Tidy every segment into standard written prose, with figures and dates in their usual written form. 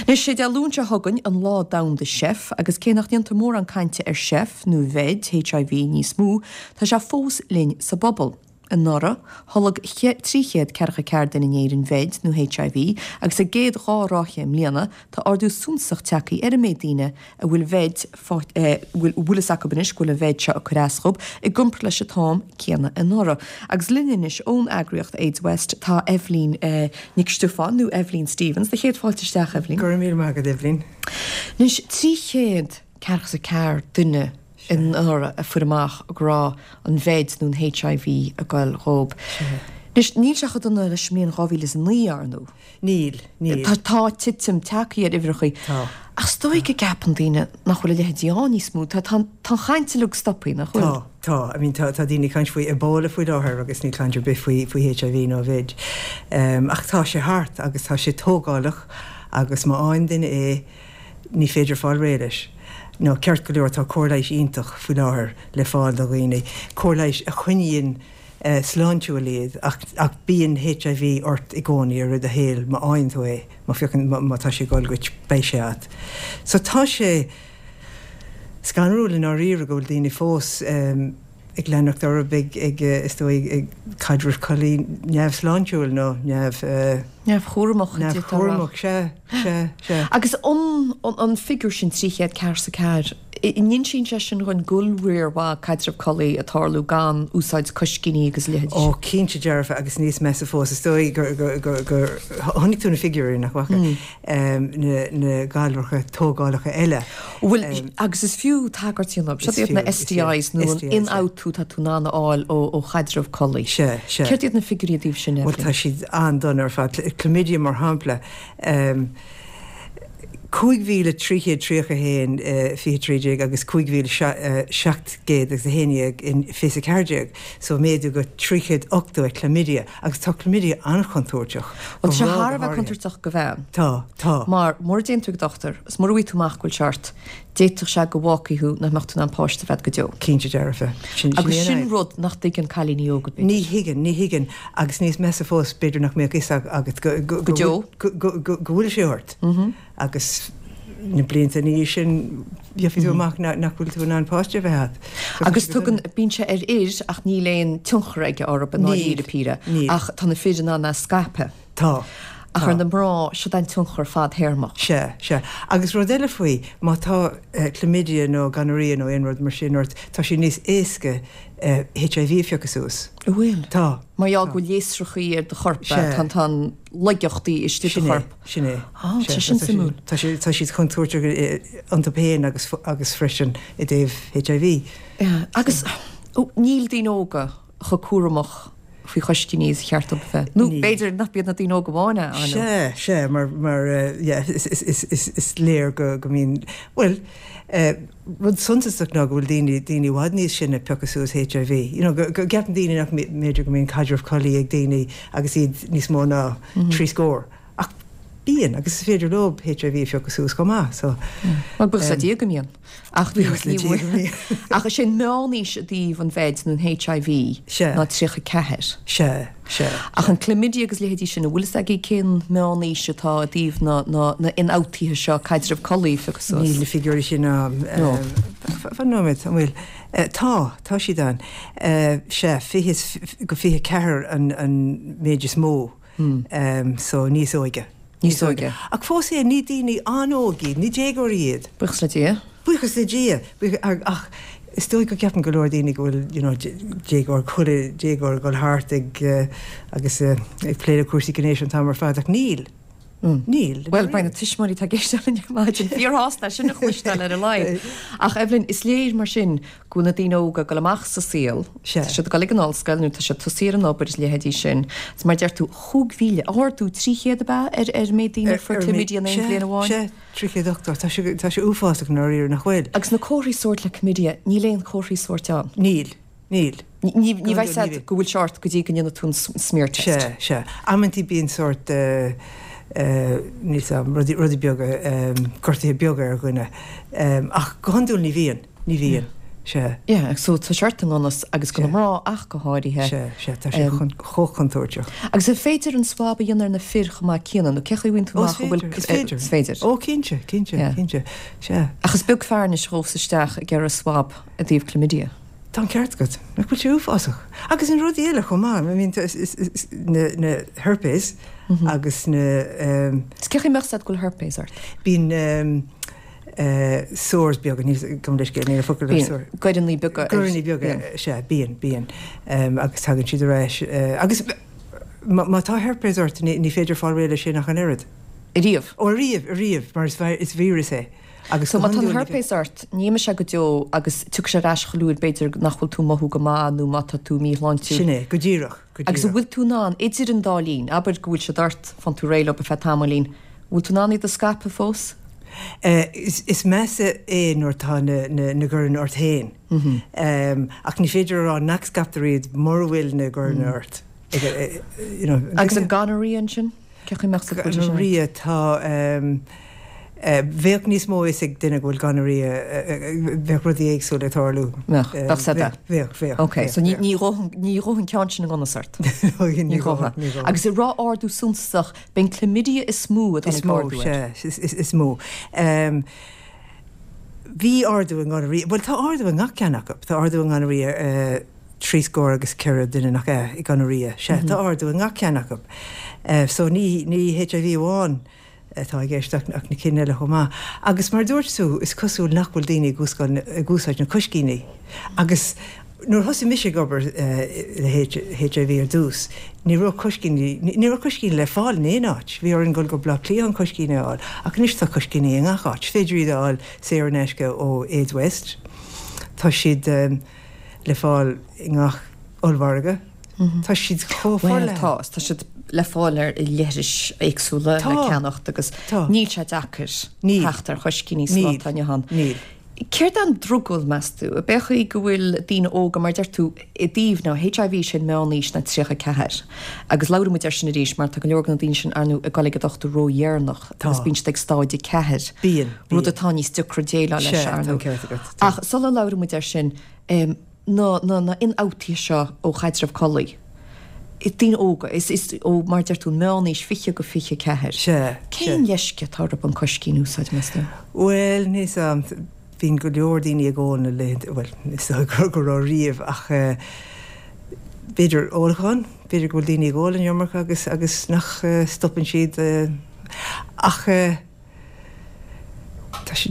Anois, sé Dé Luain seo chugainn an Lá Domhanda Seif agus cé nach ndéantar mórán cainte ar seif nó VID, HIV, níos mó, tá sé fós linn sa bpobal. Anuraidh, tholg 344 duine in Éirinn VID nó HIV agus sa gcéad dá ráithe i mbliana, tá ardú suntasach tagtha ar an méid daoine a bhfuil VID, a bhfuil fhios acu anois go bhfuil an VID seo ag cur as dhób, i gcomparáid leis an t-am céanna anuraidh. Agus linn anois ón eagraíocht AIDS West tá Eibhlín Nic Stiofáin nó Eibhlín Stephens. Do chéad fáilte isteach, Eibhlín. Go raibh míle maith agat, Eibhlín. Anois, 344 duine anuraidh a fuair amach go raibh an VID nó an HIV ag goil dhób. Anois, níl sé chomh dona leis an mbliain 2009, ar ndóigh. Níl, níl. Tá, tá titim tagtha ar uimhreachaí. Tá. Ach is dóigh go gceapann daoine nach bhfuil a leithéidí ann níos mó. Tá, tá, tá an chaint uilig stoptha, nach bhfuil? Tá, tá. I mean, tá, tá daoine ag caint faoi Ebola faoi láthair agus níl caint ar bith faoi, faoi HIV nó VID. Ach tá sé thart agus tá sé tógálach agus má fhaigheann duine é, ní féidir fáil réidh leis. Nó ceart go leor tá cóir leighis iontach faoi láthair le fáil do dhaoine, cóir leighis a choinníonn sláintiúil iad ach ach bíonn HIV ort i gcónaí ar fud do shaoil má fhaigheann tú é, má phiocann, má tá sé ag dul dhuit beidh sé agat. So tá sé scanrúil i ndáiríre go bhfuil daoine fós ag leanacht orthu ag, ag, is dóigh, ag caidreamh collaí neamhshláintiúil nó neamh. Neamhchúramach, Neamhchúramach, sea, sea, sea. Agus an, an figiúr sin, 344, an insíonn sé sin dhúinn go bhfuil riar mhaith caidreamh collaí ag tarlú gan úsáid coiscíní agus a leithéidí sin? Ó, cinnte dearfa agus níos measa fós, is dóigh gur, gur, gur, gur chonaic tú na figiúirí, nach bhfaca? na, na galracha tógálacha eile. Bhuel, agus is fiú tagairt a dhéanamh, siod iad na STIs nó an ionfhabhtú atá tú in ann a fháil ó chaidreamh collaí. Sea, sea. Céard iad na figiúirí i dtaobh sin, Bhuel, tá siad an-dona ar fad. Chlamydia, mar shampla, 5,331 i 2013 agus 5,711 in 2014, so méadú go 380 ar chlamydia. Agus tá chlamydia an-chontúirteach. Bhuel, tá sé thar a bheith contúirteach do bhean. Tá, tá. Mar mura dtéann tú ag dochtúir, is mura bhfaighidh tú amach go bhfuil sé ort, d'fhéadfadh sé go bhfágfaidh thú nach mbeadh tú in ann páiste a bheith agat go deo. Cinnte dearfa. Sin, sin Agus sin rud nach dtuigeann cailíní óga, b'fhéidir. Ní thuigeann, ní thuigeann. Agus níos measa fós, b'fhéidir nach mbeadh fhios agat go, go, go deo. Go, go, go, go bhfuil sé ort. Agus na blianta ina dhiaidh sin, gheobhaidh tú amach nach bhfuil tú in ann páiste a bheith agat. Agus tugann, bíonn sé ar fhir ach níl aon tionchar aige orthu i ndáiríre píre. Ach tá na fir in ann é a scaipeadh. Tá. Ach ar na mná, siod é an tionchar fadthéarmach. Sea, sea. Agus rud eile faoi, má tá chlamydia nó gonorrhea nó aon rud mar sin ort, tá sé níos éasca HIV a phiocadh suas. An bhfuil? Tá. Mar gheall go bhfuil léasrachaí ar do chorp, tá an laigeachtaí istigh i do chorp. Sin é. Á, tá sin suimiúil. Tá sé, tá siad contúirteach iontu féin agus, agus freisin i dtaobh HIV. Yeah, agus níl daoine óga chomh cúramach faoi choiscíní is a cheart dóibh a bheith. Nó b'fhéidir nach iad na daoine óga amháin é, ar ndóigh. Sea, sea, mar, mar, yeah, is, is, is, is, is léir go, go mbíonn, bhuel, rud suntasach ná go bhfuil daoine, daoine i bhfad níos sine ag piocadh suas HIV. You know, go, go gceapann daoine nach mb'fhéidir go mbíonn caidreamh collaí ag daoine agus iad níos mó ná trí scór. Ach bíonn, agus is féidir leo HIV a phiocadh suas chomh maith, so. Bhuel, buíochas le Dia go mbíonn. Ach Buíochas le Dia go mbíonn. Ach is é an meánaois i dtaobh an VID nó an HIV Sea. ná 34. Sea, sea. Ach an chlamydia agus leithéidí sin, an bhfuil fhios agaibh cén meánaois atá i dtaobh na, na, na ionfhabhtuithe seo, caidreamh collaí a phiocadh suas? Níl na figiúirí sin ann. No. Fan nóiméad, an bhfuil? Tá, tá siad ann. Sea, 20 go 24 an, an méid is mó. So níos óige. Níos óige. Ach fós féin, ní daoine an-óg iad, ní déagóirí iad. Buíochas le Dia. Buíochas le Dia. Ach is dóigh go gceapann go leor daoine go bhfuil, you know, déagóir, chuile déagóir ag dul thart ag, agus ag plé le cúrsaí gnéis an t-am ar fad, ach níl. Níl. Bhuel, beidh na tuismitheoirí atá ag éisteacht linn ar maidin fíorshásta é sin a chloisteáil ar a laghad. Ach Eibhlín, is léir mar sin go bhfuil na daoine óga ag dul amach sa saol, tá siad ag dul ag an ollscoil nó tá siad tosaithe ar an obair is leithéidí sin. Is mar a deir tú, 5,000, ardú 300 ab ea ar ar an méid daoine a fuair chlamydia in aon bhliain amháin? Sea, 380. Tá sé, tá sé uafásach i ndáiríre, nach bhfuil? Agus na comharthaí sóirt le chlamydia, níl aon chomharthaí sóirt ann. Níl. Níl. Ní bheidh fhios agat go bhfuil sé ort go dtí go ndéanfaidh tú an smear test. Sea, sea. Amantaí bíonn sórt, níl 's a'm, rudaí, rudaí beaga, gortuithe beaga ar dhuine. Ach go hiondúil ní bhíonn, ní bhíonn. Sea. Yeah, so tá sé ort i ngan fhios agus do na mná ach go háirithe. Sea, sea, tá sé chomh contúirteach. Agus an féidir an swab a dhéanamh ar na fir chomh maith céanna, nó cé chaoi a bhfaigheann tú amach an bhfuil. Is féidir. Is féidir. Ó, cinnte, cinnte, cinnte, sea. Ach is beag fear anois a ghabhfas isteach ag iarraidh swab i dtaobh chlamydia. Tá an ceart agat. Nach bhfuil sé uafásach? Agus na rudaí eile chomh maith, I mean, na herpes agus na. Is cé chaoi a mbeadh 's agat go bhfuil herpes ort? Bíonn sores beaga, níl, gabh mo leithscéal, níl an focal ar sore. Bíonn goireanna beaga. Goireanna beaga, sea, bíonn, bíonn. Agus tagann siad ar ais. Agus má tá herpes ort, ní féidir fáil réidh leis sin ach an oiread. Ariamh? Ó, ariamh, ariamh, mar is víreas é. Agus so má tá an herpes ort, ní imeoidh sé go deo agus tiocfaidh sé ar ais chuile uair b'fhéidir nach bhfuil tú ag mothú go maith nó má tá tú míshláintiúil. Sin é, go díreach, go díreach. Agus an bhfuil tú in ann, idir an dá linn, abair go bhfuil siad ort, faigheann tú réidh leo ar feadh tamaillín, an bhfuil tú in ann iad a scaipeadh fós? Is measa é nuair atá na goireanna ort féin. Ach ní féidir a rá nach scaiptear iad mura bhfuil na goireanna ort. Agus an gonorrhea ansin? Cé chaoi a mbeadh 's agat go bhfuil sé sin ort? Gonorrhea, tá, bheadh níos mó fhios ag duine go bhfuil gonorrhea, bheadh rudaí éagsúla ag tarlú. Bheadh, bheadh 's agat. Bheadh, bheadh. Ok, so ní ghabhfadh an ceann sin i ngan fhios ort. Ní ghabhfadh, ní ghabhfadh. Agus an raibh ardú suntasach, b'in chlamydia is mó a tháinig ardú air. Is mó, sea, is mó. Bhí ardú i ngonorrhea, bhuel tá ardú i ngach ceann acu, tá ardú i ngonorrhea, 34 duine nach ea i gonorrhea. Sea, tá ardú i ngach ceann acu. So ní ní HIV amháin atá i gceist ach na cinn eile chomh maith. Agus mar a dúirt tú, is cosúil nach bhfuil daoine ag ag úsáid na coiscíní. Agus nuair a thosaigh mise ag obair le HIV ar dtús, ní raibh coiscíní, ní raibh coiscíní le fáil in aon áit. Bhí orainn dul go Baile Átha Cliath chun coiscíní a fháil. Ach anois tá coiscíní i ngach áit. Is féidir iad a fháil saor in aisce ó AIDS West. Tá siad. le fáil i ngach ollmhargadh. Tá siad chomh forleathan. Bhuel, tá. Tá siad le fáil ar leithris éagsúla le ceannacht agus níl sé deacair teacht ar choiscíní sa lá atá inniu ann. Níl. Céard é an drogall, meas tú? Ab é an chaoi go bhfuil daoine óga, mar a deir tú, i dtaobh na HIV sin meánaois ná 34 agus labhróidh muid air sin arís mar tá go leor de na daoine sin ar ndóigh ag dul ag an dochtúir ródheireanach agus bíonn siad ag stáid 4, rud atá níos deacra déileáil leis ar ndóigh. Ach sula labhraíonn muid air sin, na, na, na ionfhabhtuithe seo ó chaidreamh collaí, daoine óga, is, is ó, mar a deir tú, an meánaois, 20-24. Sea, Cén leisce atá orthu an coiscín a úsáid, meas tú? Bhuel, níl 's a'm, bíonn go leor daoine ag ól na laethanta, bhuel, is dóigh go raibh riamh, ach b'fhéidir ólachán, b'fhéidir go bhfuil daoine ag ól an iomarca agus, agus nach stopann siad, ach. Tá sé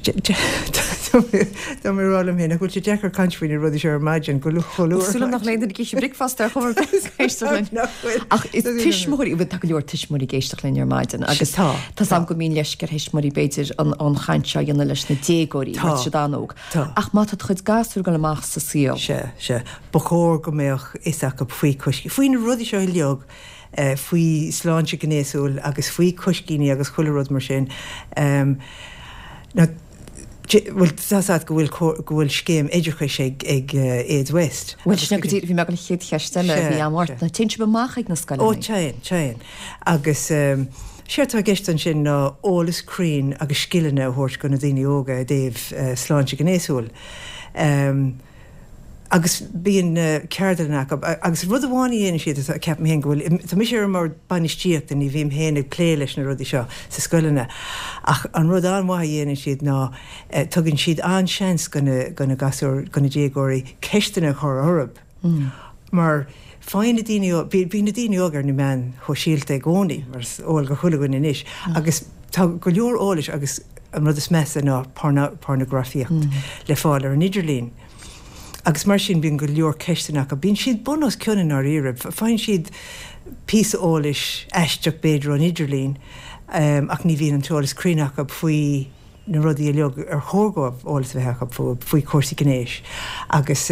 Tá mé ag rá liom féin nach bhfuil sé deacair caint faoi na rudaí seo ar maidin go luath. Súil agam nach bhfuil aon duine ag ithe bricfeasta ar chuma ar bith ag éisteacht linn. Ach is tuismitheoirí, bhuel tá go leor tuismitheoirí ag éisteacht linn ar maidin agus tá 's agam go mbíonn leisce ar thuismitheoirí b'fhéidir an chaint seo a dhéanamh leis na déagóirí mar tá siad an-óg. Ach má tá do chuid gasúr ag dul amach sa saol. Sea, sea. Ba chóir go mbeadh fhios acu faoi coiscíní, faoi na rudaí seo uilig. faoi sláinte gnéasúil agus faoi coiscíní agus chuile rud mar sin. Now, bhuel, tá 's agat go bhfuil go bhfuil scéim oideachais ag ag AIDS West. Bhuel, sin go díreach, bhí mé ag dul an chéad cheist eile a bhí agam ort, ná téann sibh amach ag na scoileanna? Ó, téann, téann. Agus séard atá i gceist ansin ná eolas cruinn agus scileanna a thabhairt go na daoine óga i dtaobh sláinte gnéasúil. Agus bíonn ceardlanna acu. Agus rud amháin a dhéanann siad, ceapaim féin go bhfuil, tá mise ar an mbord bainistíochta, ní bhím féin ag plé leis na rudaí seo sa scoileanna, ach an rud an-mhaith a dhéanann siad ná tugann siad an-seans go na, go na gasúir, go na déagóirí ceisteanna a chur orthu. Mar faigheann na daoine óga, bíonn na daoine óga ar na meáin shóisialta i gcónaí, mar is eol go chuile dhuine anois, agus tá go leor eolais agus an rud is measa ná pornagrafaíocht le fáil ar an idirlíon. Agus mar sin bíonn go leor ceisteanna acu. Bíonn siad bun os cionn i ndáiríre. Faigheann siad píosa eolais aisteach b'fhéidir ón idirlíon ach ní bhíonn an t-eolas cruinn acu faoi na rudaí uilig ar chóir dóibh eolas a bheith acu fúthu, faoi chúrsaí gnéis. Agus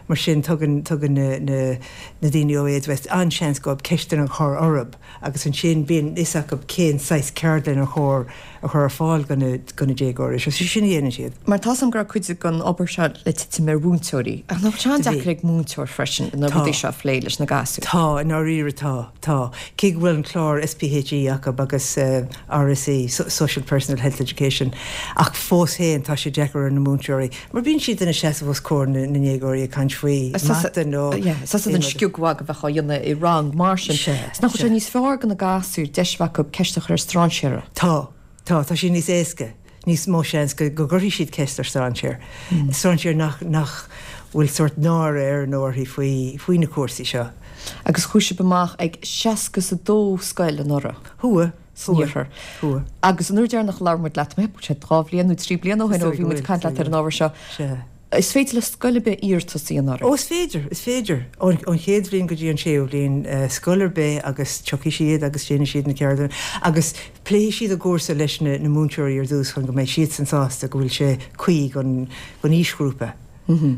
mar sin tugann tugann na na na daoine ó AIDS West an-seans dóibh ceisteanna a chur orthu agus ansin bíonn fhios acu cén saghas ceardlann ar chóir a chur ar fáil do na déagóirí. So sin a dhéanann siad. Mar tá's agam go raibh cuid den obair seo le titim ar mhúinteoirí. Ach nach bhfuil sé an-deacair ag múinteoir freisin na rudaí seo a phlé leis na gasúir? Tá, i ndáiríre tá, tá. Cé go bhfuil an clár SPHE acu agus RSE, Social Personal Health Education. Ach fós féin, tá sé deacair ar na múinteoirí, mar bíonn siad ina seasamh os comhair na ndéagóirí ag caint faoi mata nó Tá a fhios agat an sciugmhagadh a bheadh á dhéanamh i rang mar sin. Is nach bhfuil sé níos fearr do na gasúir deis a bheith acu ceist a chur ar strainséara? Tá. Tá. Tá sé níos éasca. Níos mó seans go gcuirfidh siad ceist ar strainséir. Strainséir nach nach bhfuil sórt náire air nó uirthi faoi faoi na cúrsaí seo. Agus chuaigh sibh amach ag 62 scoil anuraidh. Chuaigh. san iarthar. Agus an uair deireanach a labhair muid leat, mé sé 2 bhliain nó 3 bliana ó shin ó bhí muid ag caint leat ar an ábhar seo. Is féidir le scoil ar bith iarratas a dhéanamh oraibh? Ó is féidir, is féidir. Ón chéad bhliain go dtí an séú bhliain, scoil ar bith agus tiocfaidh siad agus déanfaidh siad na ceardlanna agus pléifidh siad an cúrsa leis na múinteoirí ar dtús chun go mbeidh siadsan sásta go bhfuil sé cuí don aoisghrúpa.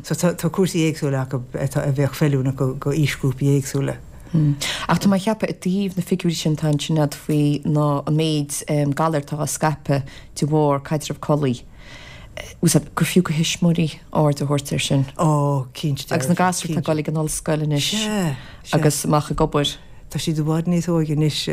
So tá tá cúrsaí éagsúla acu atá a bheadh feiliúnach go go aoisghrúpaí éagsúla. Ach tá mé ag ceapadh i dtaobh na figiúirí sin atá ansin agat faoi ná an méid galar atá á scaipeadh de bharr caidreamh collaí, gur fiú go thuismitheoirí aird a thabhairt air sin. Ó, cinnte dearfa. Agus na gasúir atá ag dul ag an ollscoil anois agus amach ag obair. Tá siad i bhfad níos óige anois,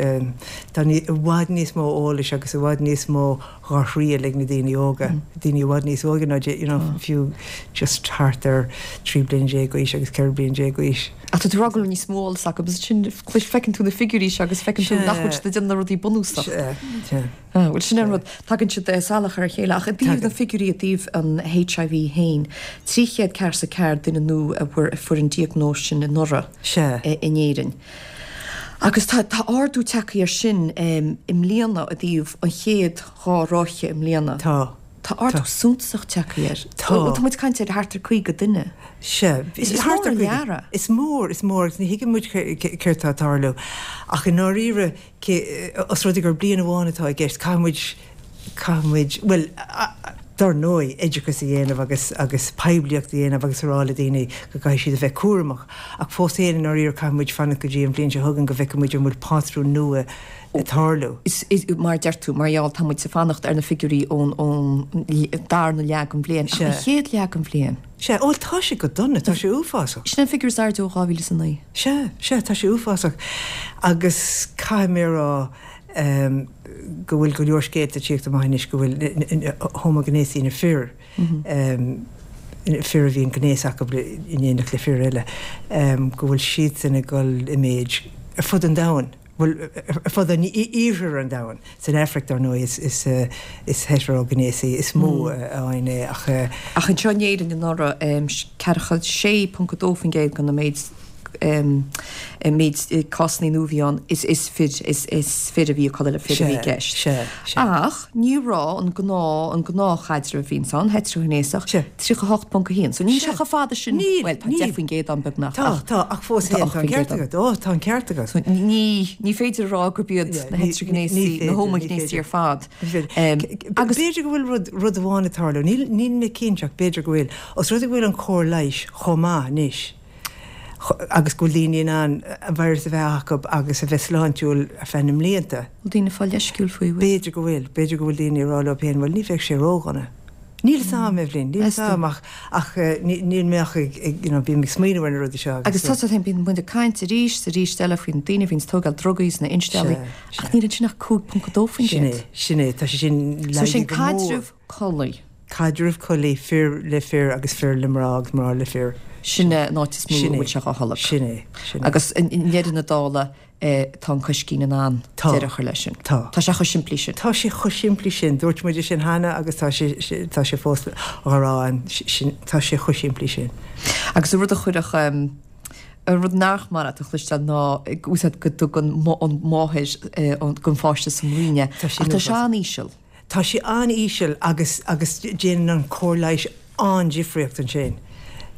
tá i bhfad níos mó eolais agus i bhfad níos mó dhá thriail ag na daoine óga, daoine i bhfad níos óige ná you know fiú just thart ar 13 bliana d'aois agus 14 bliana d'aois. Ach tá tú ag rá go bhfuil níos mó eolas acu agus ansin feiceann tú na figiúirí seo agus feiceann tú nach bhfuil siad ag déanamh na rudaí bunúsach. Sea, sea. Bhuel, sin an rud, tagann siad salach ar a chéile. Ach i dtaobh na figiúirí i dtaobh an HIV féin, 344 duine nua a fuair an diagnóis sin anuraidh in Éirinn. Agus tá ardú tagtha air sin i mbliana i dtaobh an chéad 2 ráithe i mbliana. Tá. Tá ardú suntasach tagtha air. Tá. Tá muid ag caint ar thart ar 50 duine. Sea. Is mór an lear é. Is mór, is mór agus ní thuigeann muid céard tá ag tarlú. Ach i ndáiríre, Cé, os rud é gur bliain amháin atá i gceist, caithfidh muid, caithfidh muid, bhuel, dar ndóigh, oideachas a dhéanamh agus, agus poiblíocht a dhéanamh agus a rá le daoine go gcaithfidh siad a bheith cúramach. Ach fós féin, i ndáiríre, caithfidh muid fanacht go dtí an bhliain seo chugainn go bhfeicfidh muid an bhfuil pátrún nua ag tarlú. Is, is, mar a deir tú, mar gheall, tá muid ag fanacht ar na figiúirí ón, ón darna leath den bhliain. Ach an chéad leath den bhliain. Sea, bhuel, tá sé go dona, tá sé uafásach. Sin an figiúr is airde ó 2009. Sea, sea, tá sé uafásach. Agus caithfidh mé a rá go bhfuil go leor scéalta ag tíocht amach anois go bhfuil homaighnéasaigh, na fir, fir a bhíonn gnéas acu in éineacht le fir eile, go bhfuil siadsan ag dul i méid ar fud an domhain. Bhuel, ar fud an iarthar an domhain. San Afraic, dar ndóigh, is is heitrioghnéasaigh is mó a fhaigheann é ach. Ach anseo in Éirinn anuraidh, 46.2% den méid méid cásanna nua a bhí ann, is is fir is is fir a bhí ag codladh le fir a bhí i gceist. Sea, sea. Ach ní raibh an gnáth an gnáthchaidreamh a bhíonns ann, heitrighnéasach, 38.1. So níl sé chomh fada sin, bhuel, tá 10% ann beagnach ach. Tá, tá, ach fós féin, tá an ceart agat, ó, tá an ceart agat. So ní, ní féidir a rá gurb iad na heitrighnéasaigh, na homaighnéasaigh ar fad. Agus b'fhéidir go bhfuil rud, rud amháin ag tarlú, níl, níl mé cinnte ach b'fhéidir go bhfuil, os rud é go bhfuil an chóir leighis chomh maith anois, agus go bhfuil daoine in ann an virus a bheith acu agus a bheith sláintiúil ar feadh na mblianta. Bhfuil daoine ag fáil leisciúil faoi, bhfuil? B'fhéidir go bhfuil. B'fhéidir go bhfuil daoine ag rá leo féin, bhuel, ní bheadh sé ródhona. Níl 'fhios a'm, Eibhlín, níl 'fhios a'm ach, ach níl mé ach ag, you know, bím ag smaoineamh ar na rudaí seo agus. Agus tá féin, bíonn muid ag caint arís is arís eile faoi na daoine a bhíonn ag tógáil drugaí is na insteallaí, ach níl ansin ach 5.2%. Sin é, sin é, tá sé sin laghdaithe go mór. So sin caidreamh collaí. Caidreamh collaí, fir le fir agus fir le mná agus mná le fir. Sin é an áit is mó a bhfuil sé á tholg. Sin é, sin é. Agus i ndeireadh na dála tá an coiscín in ann deireadh a chur leis sin. Tá. Tá sé chomh simplí sin. Tá sé chomh simplí sin. Dúirt muid é sin cheana agus tá sé, tá sé fós á rá againn, tá sé chomh simplí sin. Agus an rud a chuirfeadh, an rud nach maith leat a chloisteáil ná go dtugann an mháthair don pháiste sa mbroinn é. Ach tá sé an-íseal. Tá sé an-íseal agus agus déanann an chóir leighis an-difríocht ansin.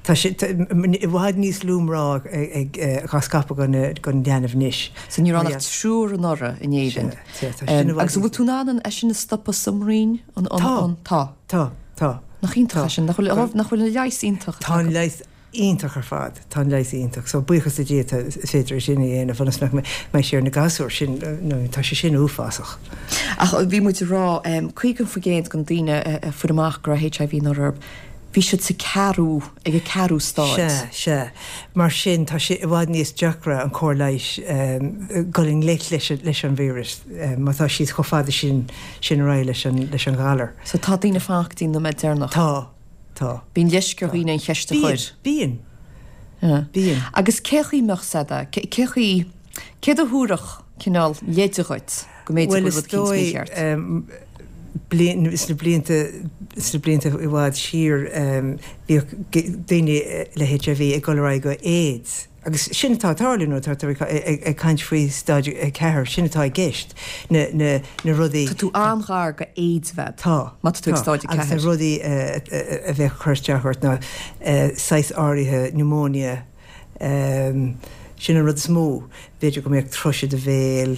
Tá sé i bhfad níos lú mná ag á scaipeadh don leanbh anois. So ní raibh ann ach triúr anuraidh in Éirinn. Sea, tá sin i bhfad Agus an bhfuil tú in ann é sin a stopadh sa mbroinn? Tá. Tá. Tá, tá. Nach iontach é sin? Nach bhfuil nach bhfuil an leigheas iontach? Tá an leigheas iontach ar fad. Tá an leigheas iontach. So buíochas le Dia tá, is féidir é sin a dhéanamh ionas nach mbeidh sé ar na gasúir sin, nó tá sé sin uafásach. Ach bhí muid ag rá, 50% den daoine a fuair amach go raibh HIV anuraidh orthu. Bhí siad sa ceathrú, ag an ceathrú stáid. Sea, sea. Mar sin, tá sé i bhfad níos deacra an cóir leighis dul i ngleic leis, leis an víreas má tá siad chomh fada sin, sin ar aghaidh leis an, leis an ghalar. So tá daoine ag fanacht go dtí an nóiméad deireanach. Tá, tá. Bíonn leisce ar dhaoine an cheist a chur. Bíonn, bíonn. Bíonn. Agus cé chaoi mbeadh said, cé chaoi, céard a thabharfadh cineál leide dhuit go mb'fhéidir go bhfuil rud eicínt mícheart? Bhuel, is dóigh, bliain, sna blianta, sna blianta i bhfad siar, bhíodh daoine le HIV ag dul ar aghaidh go AIDS. Agus sin atá ag tarlú nuair atá tú ag caint faoi staid 4, sin atá i gceist, na, na, na rudaí. Tá tú an-ghar go AIDS a bheith. Tá. Má tá tú ag staid 4. Agus na rudaí a bheadh ag cur isteach ort ná saghas áirithe pneumonia, Sin an rud is mó. B'fhéidir go mbeadh tuirse i do bhéal.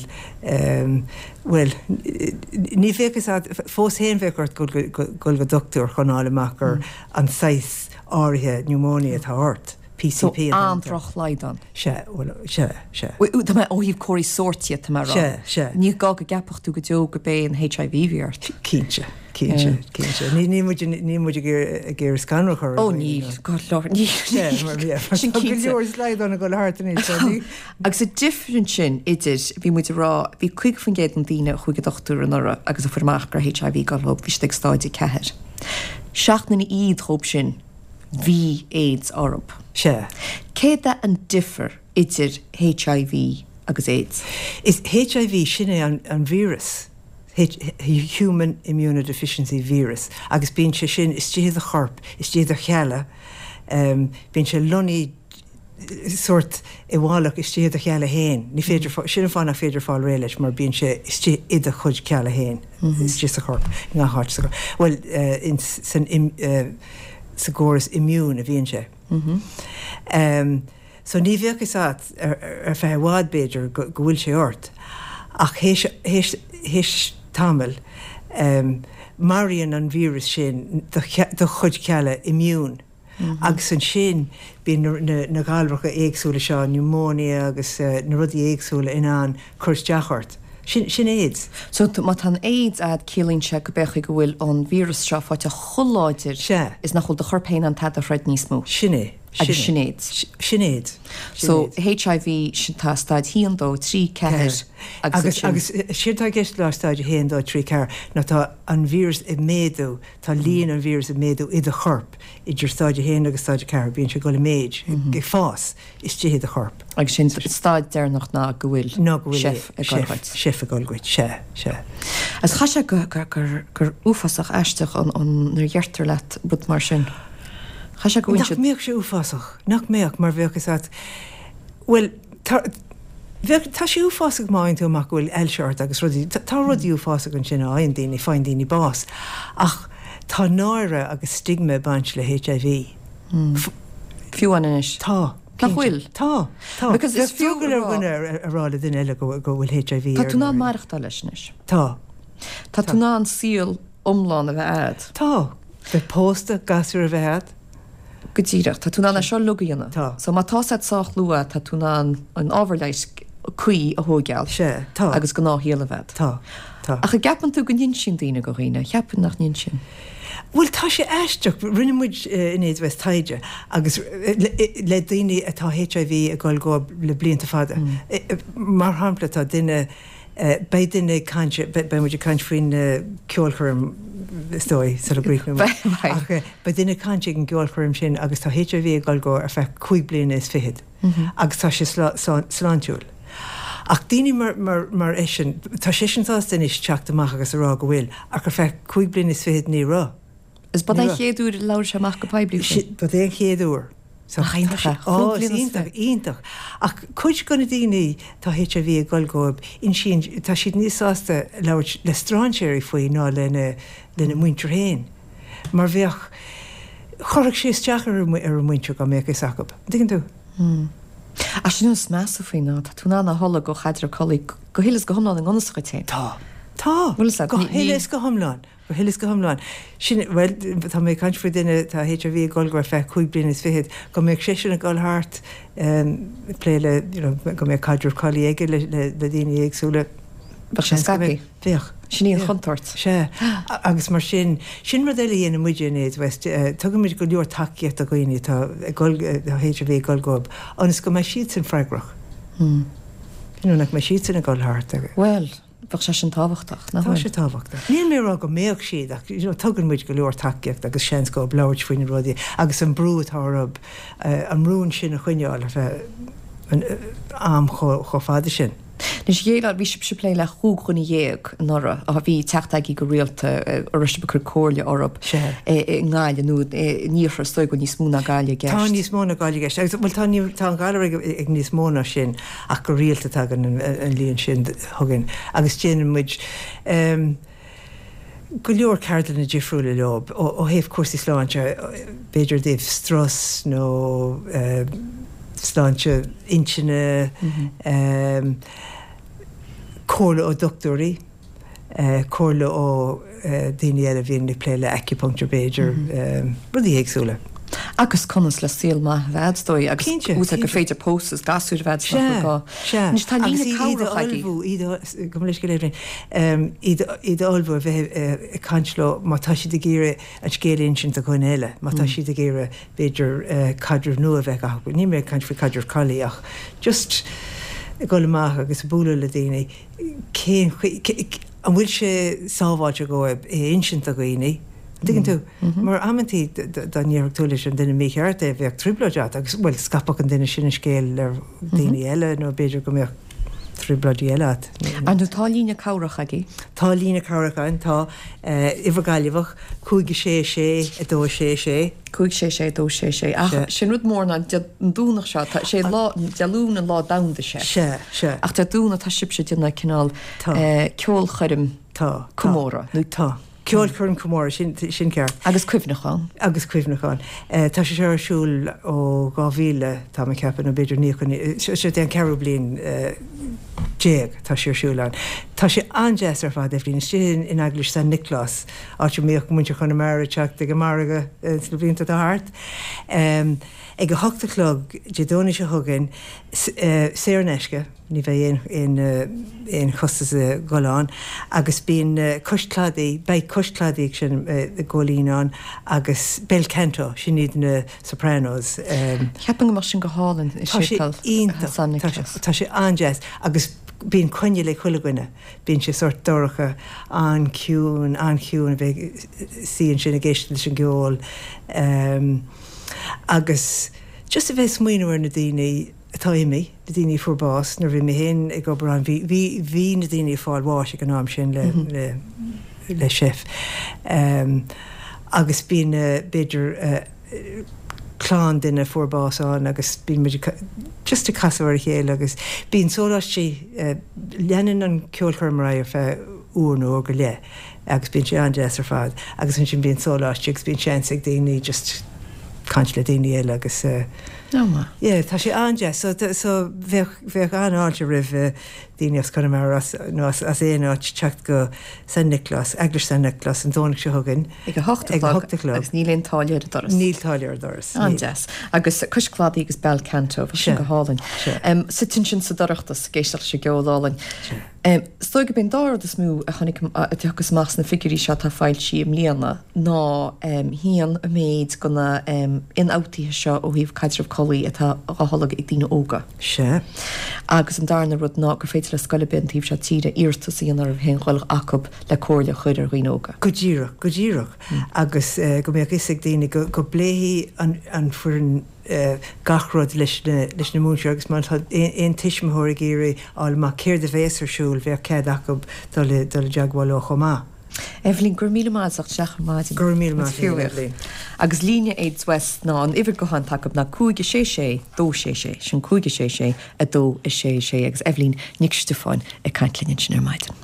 Bhuel, ní bheadh fhios agat, fós féin bheadh ort dul go dochtúir chun fháil amach gur an saghas áirithe pneumonia atá ort, PCP an t-ainm atá air. So an-drochshlaghdán. Sea, bhuel, sea, sea. Tá mé ó thaobh comharthaí sóirt dhe, tá mé a rá. Sea, sea. Ní gá go gceapfadh tú go deo go b'é an HIV a bhí ort. Cinnte. Cinnte, cinnte. Níl muid, níl muid ag iarraidh scanradh a chur ar Ó níl, God love, níl. Sin cinnte. Tá go leor slaghdán ag dul thart anois, so ní. Agus an difear ansin idir, bhí muid ag rá, bhí 50% den daoine a chuaigh ag dochtúir anuraidh agus a fuair amach go raibh HIV ag dul dhób, bhí siad ag stáid 4. 7 nduine fhichead dhób sin, bhí AIDS orthub. Sea. Céard é an difear idir HIV agus AIDS? Is HIV, sin é an víreas. Human Immunodeficiency Virus, agus bíonn sé sin istigh i do chorp, istigh i do chealla, bíonn sé lonnaithe sórt i bhfolach istigh i do chealla féin, ní féidir, sin an fáth nach féidir fáil réidh leis mar bíonn sé istigh i do chuid cealla féin, istigh sa chorp, i ngach áit sa chorp, bhuel, san, sa gcóras immune a bhíonn sé. So ní bheadh fhios agat ar feadh i bhfad b'fhéidir go bhfuil sé ort ach théis, théis, théis tamaill maraíonn an víreas sin do, do chuid cealla immune agus ansin bíonn na, na, na galracha éagsúla seo, pneumonia agus na rudaí éagsúla in ann cur isteach ort. Sin, sin AIDS. So má tá an AIDS a'd ciallaíonn sé go b'fhéidir go bhfuil an víreas seo faighte chomh láidir Sea. is nach bhfuil do chorp féin in ann tada a throid níos mó. Sin é. Agus sin AIDS. Sin AIDS. So HIV, sin tá staid 1, 2, 3, 4 agus ansin. Agus séard atá i gceist le staid 1, 2, 3, 4 ná tá an víreas ag méadú, tá líon an víreas ag méadú i do chorp idir staid 1 agus staid 4, bíonn sé ag dul i méid, ag fás istigh i do chorp. Agus sin staid deireanach ná go bhfuil seif ag dul dhuit. Seif ag dul dhuit, sea, sea. Agus chaithfeadh sé go, gur, gur uafásach aisteach an, an, nuair a dheirtear leat rud mar sin. Chaithfeadh sé go bhfuil Nach mbeadh sé uafásach? Nach mbeadh, mar bheadh fhios agat, bhuel, tá, bheadh, tá sé uafásach má fhaigheann tú amach go bhfuil ailse ort agus rudaí, tá rudaí uafásacha ansin a fhaigheann daoine, faigheann daoine bás. Ach tá náire agus stigma ag baint le HIV. Fiú amháin anois. Tá. Nach bhfuil? Tá. Tá. Because is fiú a rá. Bheadh drogall ar dhuine a rá le duine eile go bhfuil HIV air. Tá tú in ann maireachtáil leis anois. Tá. Tá tú in ann saol iomlán a bheith a'd. Tá. Bheith pósta, gasúir a bheith a'd. Go díreach. Tá tú in ann é seo uilig a dhéanamh. Tá. So má tá sé sách luath, tá tú in ann an ábhar leighis cuí a thóigeáil. Sea. Tá. Agus gnáthshaol a bheith a'd. Tá. Tá. Ach an gceapann tú go n-insíonn daoine go dhaoine? Cheapfainn nach n-insíonn. Bhuel, tá sé aisteach. Rinne muid in AIDS West taighde agus le daoine atá HIV ag dul dhóibh le blianta fada. Mar shampla, tá duine, Beidh duine ag caint, beidh muid ag caint faoin gceolchoirm is dóigh sula gcríochnóidh muid. Ach beidh duine ag caint ag an gceolchoirm sin agus tá HIV ag dul dhó ar feadh cúig bliana is fichead agus tá sé sláintiúil. Ach daoine mar eisean, tá seisean sásta anois teacht amach agus a rá go bhfuil, ach ar feadh cúig bliana is fichead ní raibh. Is ba é an chéad uair a labhair sé amach go poiblí faoi. Ba é an chéad uair. Nach iontach é? Ó, is iontach, iontach. Ach cuid de na daoine tá HIV ag dul dhóibh, insíonn, tá siad níos sásta labhairt le strainséirí faoi ná lena, lena muintir féin. Mar bheadh, chuirfeadh sé isteach ar a muintir dá mbeadh fhios acu. An dtuigeann tú? Ach sin an is measa faoi ná tá tú in ann a tholg ó chaidreamh collaí go huile is go hiomlán i ngan fhios dhuit féin. Tá. Tá. Bhfuil fhios agat? Go huile is go hiomlán. Go huile is go hiomlán. Sin, bhuel, tá mé ag caint faoi duine, tá HIV ag dul dhó ar feadh cúig bliana is fichead, go mbeadh seisean ag dul thart ag plé le, you know, go mbeadh caidreamh collaí aige le, le, le daoine éagsúla. Bheadh sé scaipthe. Bheadh. Sin í an chontúirt. Sea. Agus mar sin, sin rud eile a dhéanann muide in AIDS West, tugann muid go leor tacaíocht do dhaoine atá ag dul, atá HIV ag dul dhóibh, ionas go mbeidh siadsan freagrach. You know, nach mbeidh siadsan ag dul thart agus. Bhuel, bheadh sé sin tábhachtach, nach bhfuil? Tá sé tábhachtach. Níl mé ag rá go mbeadh siad ach, you know, tugann muid go leor tacaíocht agus seans dhóibh labhairt faoi na rudaí agus an brú atá orthu, an rún sin a choinneáil ar feadh an am chomh fada sin. Anois, dhéileáil, bhí sibhse ag plé le 15 dhuine anuraidh, a bhí ag teacht agaibh go rialta, a raibh sibh ag cur comhairle orthu i nGaillimh nó in iarthar, is dóigh go bhfuil níos mó ná Gaillimh i gceist. Tá níos mó ná Gaillimh i gceist agus, bhuel, tá, tá an galar ag, ag níos mó ná sin ach go rialta tagann an, an líon sin chugainn agus déanann muid, go leor ceardlanna difriúla leo ó thaobh cúrsaí sláinte, b'fhéidir i dtaobh strus nó sláinte intinne, comhairle ó dhochtúirí, comhairle ó daoine eile a bhíonn ag plé le acupuncture b'fhéidir, rudaí éagsúla. Agus conas le saol maith a bheith, is dóigh, agus úsáid gur féidir pósadh is gasúir a bheith agat nach bhfuil gá. Sea, Anois tá líne agus iad cabhrach a agaibh. ullmhú, iad a, gabh mo leithscéal Eibhlín, iad, iad a ullmhú a bheith ag caint leo má tá siad ag iarraidh an scéal a insint do dhuine eile, má tá siad ag iarraidh b'fhéidir caidreamh nua a bheith acu, níl mé ag caint faoi caidreamh collaí ach just ag dul amach agus ag bualadh le daoine, cén chaoi, an bhfuil sé sábháilte dhóibh é a insint do dhaoine, an dtuigeann tú? Mar amantaí dá ndéarfadh tú leis an duine mícheart é, bheadh trioblóid agat agus, bhuel, scaipfeadh an duine sin an scéal ar dhaoine eile nó b'fhéidir go mbeadh trioblóidí eile agat. Ar ndóigh, tá líne cabhrach agaibh? Tá líne cabhrach againn, tá. Uimhir Gaillimheach, 5 6 6 2 6 6. 5 6 6 2 6 6. Ach sin rud mór ná an Domhnach seo, tá sé lá, Dé Luain an lá domhanda seif. Sea, sea. Ach Dé Domhnaigh tá sibhse ag déanamh cineál ceolchoirm Tá. comóradh. Nó tá. Ceolchoirm comóradh, sin, sin ceart. Agus cuimhneachán. Agus cuimhneachán. Tá sé seo ar siúl ó 2000, tá mé ag ceapadh, nó b'fhéidir 90, seo é an ceathrú bliain déag tá sé ar siúl ann. Tá sé an-deas ar fad, Eibhlín, istigh in Eaglais San Nioclás, áit a mbíodh muintir Chonamara ag teacht ag an margadh sna blianta atá thart. Ag a hocht a chlog Dé Domhnaigh seo chugainn, saor in aisce, ní bheidh aon chostas ag dul ann, agus bíonn Cois Cladaigh, beidh Cois Cladaigh ag seinm i gCóilín ann agus Bel Canto, sin iad na Sopranos. Cheapfainn go mbeadh sin go hálainn i Tá sé Séipéal iontach, San Nioclás. tá sé an-deas agus bíonn coinneal ag chuile dhuine. Bíonn sé sórt dorcha, an-chiúin, an-chiúin a bheith ag suí ansin ag éisteacht leis an gceol agus just a bheith ag smaoineamh ar na daoine atá imithe, na daoine a fuair bás. Nuair a bhí mé féin ag obair ann bhí, bhí, bhí na daoine ag fáil bháis ag an am sin le, le, le seif. Agus bíonn b'fhéidir clann duine a fuair bás ann agus bíonn muid just ag casadh ar a chéile agus bíonn sóláistí, leanann an ceolchoirm ar aghaidh ar feadh uair nó uair go leith agus bíonn sé an-deas ar fad agus ansin bíonn sóláistí agus bíonn seans ag daoine just caint le daoine eile agus yeah tá sé an-deas so so bheadh bheadh an-fháilte roimh daoine as Conamara as nó as as aon áit teacht go San Nioclás, Eaglais San Nioclás an Domhnach seo chugainn Ag a hocht a chlog agus níl aon táille ar an doras. Níl táille ar an doras. An-deas. Agus Cois Cladaigh agus Bel Canto, bheadh sin go hálainn. Suite ansin sa dorchadas ag éisteacht leis an gceol álainn. Is dóigh gurb é an dá rud is mó a chonaic, a thiocfas amach sna figiúirí seo atá foilsithe i mbliana ná haon an méid de na ionfhabhtuithe seo ó thaobh caidreamh collaí atá á tholg ag daoine óga. Sea. Agus an darna rud ná gur féidir le scoil ar bith an taobh seo tíre iarratas a dhéanamh oraibh féin dhul acu le comhairle a chur ar dhaoine óga. Go díreach, go díreach. Agus go mbeadh fhios ag daoine go go bpléifidh an an foireann gach rud leis na leis na múinteoirí agus má tá aon tuismitheoir ag iarraidh fháil amach céard a bhéas ar siúl bheadh cead acu dul i dul i dteagmháil leo chomh maith. Eibhlín, go raibh míle maith as ucht teacht ar maidin. Go raibh míle maith agat, Eibhlín. Agus líne AIDS West ná an uimhir gutháin atá acu ná 5 6 6 2 6 6, sin 5 6 6 2 6 6 agus Eibhlín Nic Stiofáin ag caint linn ansin ar maidin.